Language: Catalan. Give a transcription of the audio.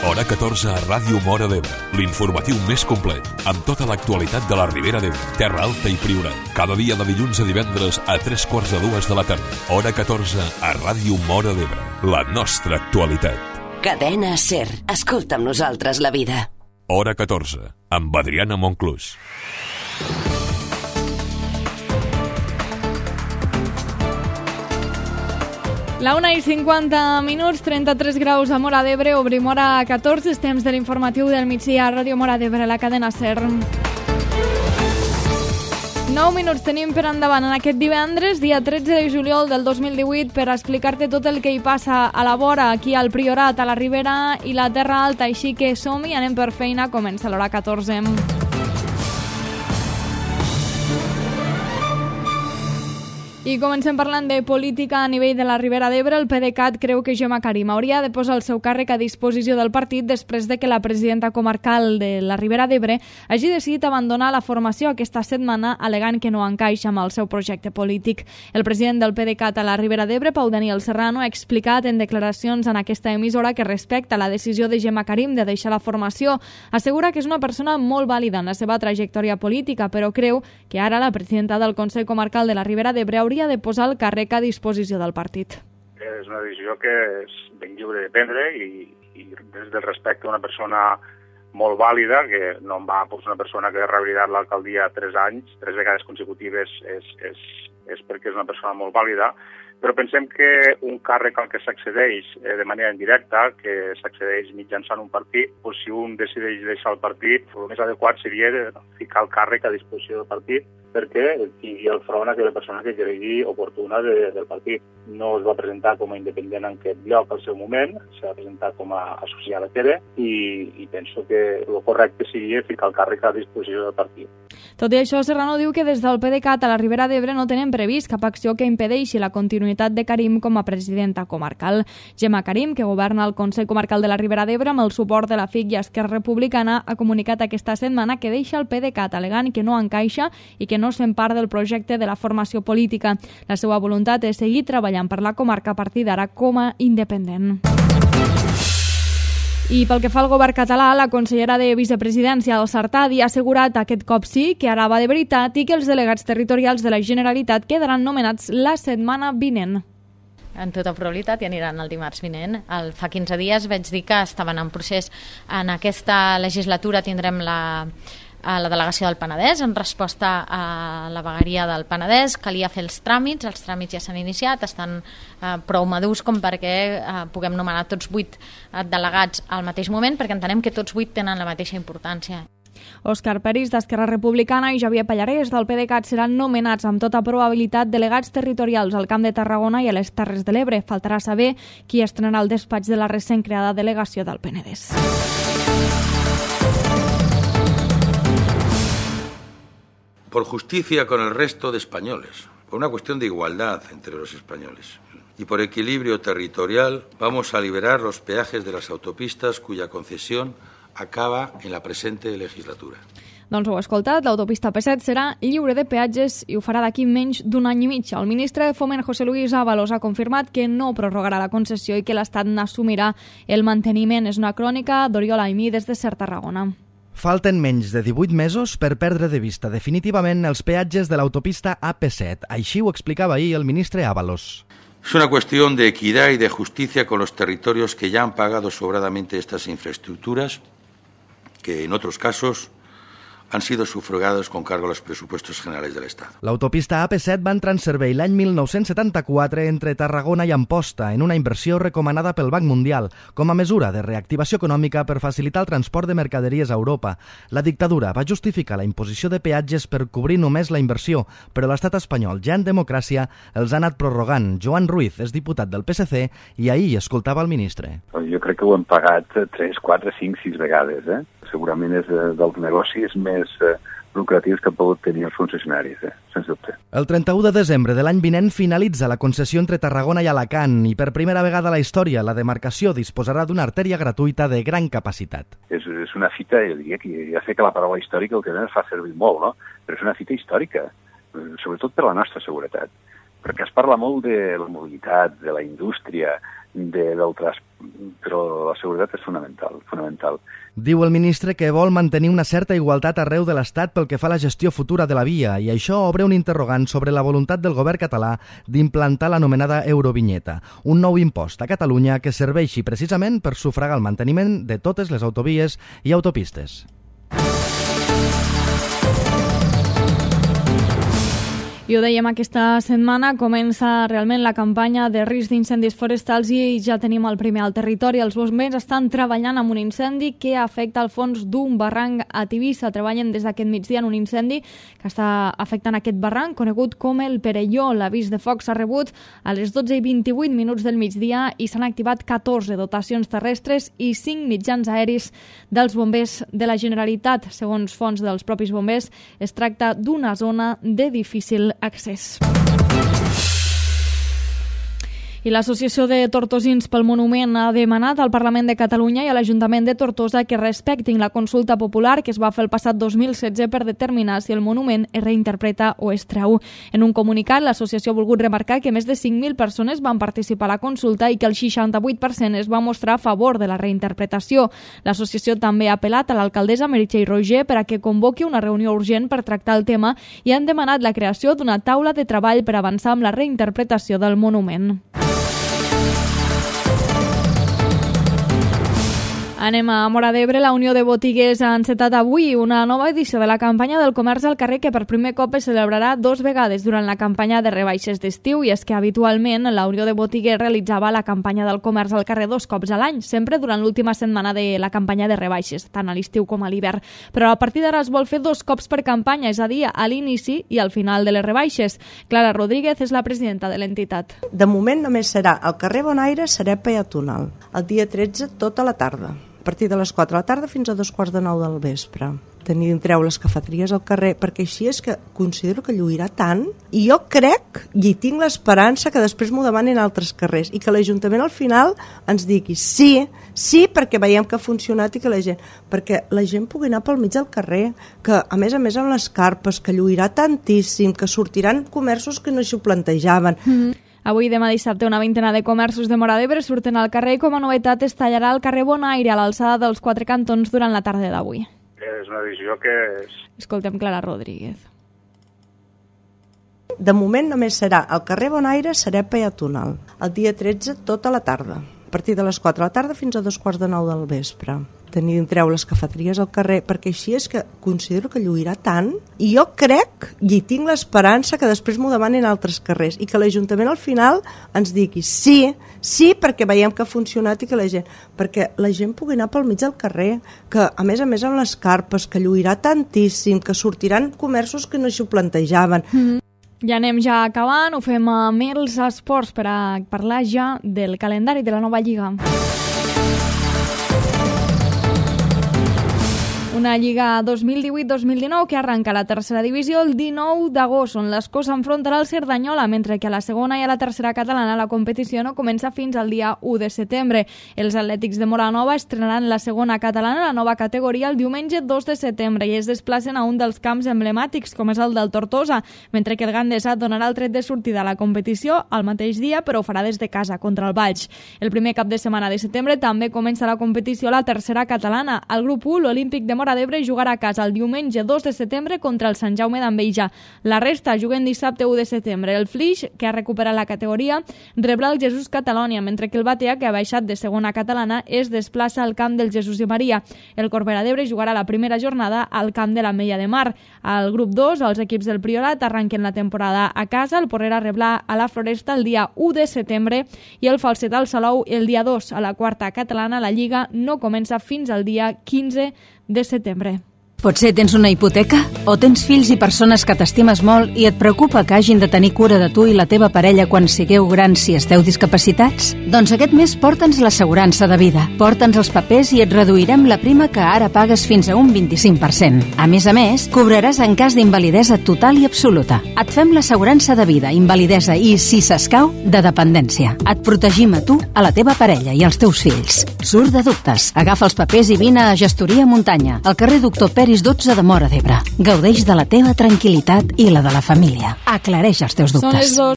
Hora 14 a Ràdio Móra d'Ebre, l'informatiu més complet, amb tota l'actualitat de la Ribera d'Ebre, Terra Alta i Priorat. Cada dia de dilluns a divendres a 3:45 de la tarda. Hora 14 a Ràdio Móra d'Ebre, la nostra actualitat. Cadena SER. Escolta amb nosaltres la vida. Hora 14, amb Adriana Monclús. La 1:50, 33 graus a Móra d'Ebre, obrim hora 14, temps de l'informatiu del migdia a Ràdio Móra d'Ebre, la cadena SER. 9 minuts tenim per endavant en aquest divendres, dia 13 de juliol del 2018, per explicar-te tot el que hi passa a la vora, aquí al Priorat, a la Ribera i la Terra Alta. Així que som-hi, anem per feina, comença l'hora 14. I comencem parlant de política a nivell de la Ribera d'Ebre. El PDeCAT creu que Gemma Karim hauria de posar el seu càrrec a disposició del partit després de que la presidenta comarcal de la Ribera d'Ebre hagi decidit abandonar la formació aquesta setmana, alegant que no encaixa amb el seu projecte polític. El president del PDeCAT a la Ribera d'Ebre, Pau Daniel Serrano, ha explicat en declaracions en aquesta emissora que respecta la decisió de Gemma Karim de deixar la formació. Assegura que és una persona molt vàlida en la seva trajectòria política, però creu que ara la presidenta del Consell Comarcal de la Ribera d'Ebre hauria de posar el càrrec a disposició del partit. És una decisió que és ben lliure de prendre i des del respecte a una persona molt vàlida, que no em va posar una persona que ha revalidat l'alcaldia 3 anys, 3 vegades consecutives, és perquè és una persona molt vàlida, però pensem que un càrrec al que s'accedeix de manera indirecta, que s'accedeix mitjançant un partit, doncs si un decideix deixar el partit, el més adequat seria ficar el càrrec a disposició del partit perquè tingui el front a aquella persona que cregui oportuna del partit. No es va presentar com a independent en aquest lloc al seu moment, s'ha presentat com a associada a TERE i penso que el correcte seria ficar el càrrec a disposició del partit. Tot i això, Serrano diu que des del PDeCAT a la Ribera d'Ebre no tenen previst cap acció que impedeixi la continuïtat de Karim com a presidenta comarcal. Gemma Karim, que governa el Consell Comarcal de la Ribera d'Ebre amb el suport de la FIC i Esquerra Republicana, ha comunicat aquesta setmana que deixa el PDeCAT alegant que no encaixa i que no es fem part del projecte de la formació política. La seva voluntat és seguir treballant per la comarca a partir d'ara com a independent. I pel que fa al govern català, la consellera de Vicepresidència, Dolça Artadi, ha assegurat aquest cop sí que ara va de veritat i que els delegats territorials de la Generalitat quedaran nomenats la setmana vinent. En tota probabilitat i aniran el dimarts vinent. Fa 15 dies vaig dir que estaven en procés. En aquesta legislatura tindrem la delegació del Penedès en resposta a la vegueria del Penedès. Calia fer els tràmits ja s'han iniciat, estan prou madurs com perquè puguem nomenar tots 8 delegats al mateix moment, perquè entenem que tots 8 tenen la mateixa importància. Òscar Peris, d'Esquerra Republicana, i Javier Pallarès, del PDeCAT, seran nomenats amb tota probabilitat delegats territorials al Camp de Tarragona i a les Terres de l'Ebre. Faltarà saber qui estrenarà el despatx de la recent creada delegació del Penedès. Por justicia con el resto de españoles, por una cuestión de igualdad entre los españoles y por equilibrio territorial, vamos a liberar los peajes de las autopistas cuya concesión acaba en la presente legislatura. Doncs ho heu escoltat, l'autopista P7 serà lliure de peatges i ho farà d'aquí menys d'un any i mig. El ministre de Foment, José Luis Ábalos, ha confirmat que no prorrogarà la concessió i que l'Estat n'assumirà el manteniment. És una crònica d'Oriol Aimí des de SER Tarragona. Falten menys de 18 mesos per perdre de vista definitivament els peatges de l'autopista AP7. Així ho explicava ahir el ministre Ábalos. Es una cuestión de equidad y de justicia con los territorios que ya han pagado sobradamente estas infraestructuras, que en otros casos han sido sufragados con cargo a los presupuestos generales del Estado. L'autopista AP7 va entrar en servei l'any 1974 entre Tarragona i Amposta en una inversió recomanada pel Banc Mundial com a mesura de reactivació econòmica per facilitar el transport de mercaderies a Europa. La dictadura va justificar la imposició de peatges per cobrir només la inversió, però l'estat espanyol, ja en democràcia, els ha anat prorrogant. Joan Ruiz és diputat del PSC i ahir escoltava el ministre. Jo crec que ho hem pagat 3, 4, 5, 6 vegades. Segurament és dels negocis més lucratius que han pogut tenir els concessionaris, sense dubte. El 31 de desembre de l'any vinent finalitza la concessió entre Tarragona i Alacant i per primera vegada a la història la demarcació disposarà d'una artèria gratuïta de gran capacitat. És una fita, jo diria que ja sé que la paraula històrica el que ens fa servir molt, no? Però és una fita històrica, sobretot per la nostra seguretat, perquè es parla molt de la mobilitat, de la indústria, del transport, però la seguretat és fonamental. Diu el ministre que vol mantenir una certa igualtat arreu de l'Estat pel que fa a la gestió futura de la via i això obre un interrogant sobre la voluntat del govern català d'implantar l'anomenada Eurovinyeta, un nou impost a Catalunya que serveixi precisament per sufragar el manteniment de totes les autovies i autopistes. I ho dèiem, aquesta setmana comença realment la campanya de risc d'incendis forestals i ja tenim el primer al territori. Els bombers estan treballant amb un incendi que afecta el fons d'un barranc a Tivissa. Treballen des d'aquest migdia en un incendi que està afectant aquest barranc, conegut com el Perelló. L'avís de foc s'ha rebut a les 12:28 del migdia i s'han activat 14 dotacions terrestres i 5 mitjans aeris dels bombers de la Generalitat. Segons fonts dels propis bombers, es tracta d'una zona de difícil accés. I l'Associació de Tortosins pel Monument ha demanat al Parlament de Catalunya i a l'Ajuntament de Tortosa que respectin la consulta popular que es va fer el passat 2016 per determinar si el monument es reinterpreta o es treu. En un comunicat, l'associació ha volgut remarcar que més de 5.000 persones van participar a la consulta i que el 68% es va mostrar a favor de la reinterpretació. L'associació també ha apel·lat a l'alcaldessa Meritxell Roigé per a que convoqui una reunió urgent per tractar el tema i han demanat la creació d'una taula de treball per avançar amb la reinterpretació del monument. Anem a Móra d'Ebre. La Unió de Botiguers ha encetat avui una nova edició de la campanya del comerç al carrer que per primer cop es celebrarà 2 vegades durant la campanya de rebaixes d'estiu i és que habitualment la Unió de Botiguers realitzava la campanya del comerç al carrer 2 cops a l'any, sempre durant l'última setmana de la campanya de rebaixes, tant a l'estiu com a l'hivern. Però a partir d'ara es vol fer 2 cops per campanya, és a dir, a l'inici i al final de les rebaixes. Clara Rodríguez és la presidenta de l'entitat. De moment només serà al carrer Bonaire, serà peatonal. El dia 13 tota la tarda. A partir de les 4 de la tarda fins a 2:45 del vespre. Treu les cafeteries al carrer, perquè així és que considero que lluirà tant i jo crec, i tinc l'esperança, que després m'ho demanin altres carrers i que l'Ajuntament al final ens digui sí, perquè veiem que ha funcionat i que perquè la gent pugui anar pel mig del carrer, que a més amb les carpes, que lluirà tantíssim, que sortiran comerços que no s'ho plantejaven. Avui, demà dissabte, una vintena de comerços de Móra d'Ebre surten al carrer i com a novetat es tallarà el carrer Bonaire a l'alçada dels 4 cantons durant la tarda d'avui. És una decisió que... Escoltem Clara Rodríguez. De moment només serà al carrer Bonaire, serà peatonal. El dia 13 tota la tarda. A partir de les 4 de la tarda fins a 2:45 del vespre. Treu les cafeteries al carrer, perquè així és que considero que lluirà tant i jo crec, i tinc l'esperança, que després m'ho demanin altres carrers i que l'Ajuntament al final ens digui sí, perquè veiem que ha funcionat i que perquè la gent pugui anar pel mig del carrer, que a més amb les carpes, que lluirà tantíssim, que sortiran comerços que no s'ho plantejaven. Ja anem ja acabant, ho fem amb els esports per a parlar ja del calendari de la nova Lliga. Una Lliga 2018-2019 que arranca a la tercera divisió el 19 d'agost, on l'Escó s'enfrontarà al Cerdanyola, mentre que a la segona i a la tercera catalana la competició no comença fins al dia 1 de setembre. Els Atlètics de Móra estrenaran la segona catalana, la nova categoria, el diumenge 2 de setembre i es desplacen a un dels camps emblemàtics, com és el del Tortosa, mentre que el Gandesa donarà el tret de sortida a la competició al mateix dia, però ho farà des de casa contra el Valls. El primer cap de setmana de setembre també comença la competició a la tercera catalana. Al grup 1, l'Olímpic de Móra d'Ebre jugarà a casa el diumenge 2 de setembre contra el Sant Jaume d'Enveja. La resta juguen dissabte 1 de setembre. El Flix, que ha recuperat la categoria, rebrà el Jesús Catalònia, mentre que el Batea, que ha baixat de segona catalana, es desplaça al camp del Jesús i Maria. El Corbera d'Ebre jugarà la primera jornada al camp de l'Ametlla de Mar. Al grup 2, els equips del Priorat arranquen la temporada a casa. El Porrera rebrà a la Floresta el dia 1 de setembre i el Falset al Salou el dia 2. A la quarta catalana, la Lliga no comença fins al dia 15 de setembre. Potser tens una hipoteca? O tens fills i persones que t'estimes molt i et preocupa que hagin de tenir cura de tu i la teva parella quan sigueu grans si esteu discapacitats? Doncs aquest mes porta'ns l'assegurança de vida. Porta'ns els papers i et reduirem la prima que ara pagues fins a un 25%. A més, cobraràs en cas d'invalidesa total i absoluta. Et fem l'assegurança de vida, invalidesa i, si s'escau, de dependència. Et protegim a tu, a la teva parella i als teus fills. Surt de dubtes. Agafa els papers i vine a Gestoria Muntanya, al carrer Doctor Peris 12 de Móra d'Ebre. Gaudeix de la teva tranquil·litat i la de la família. Aclareix els teus dubtes.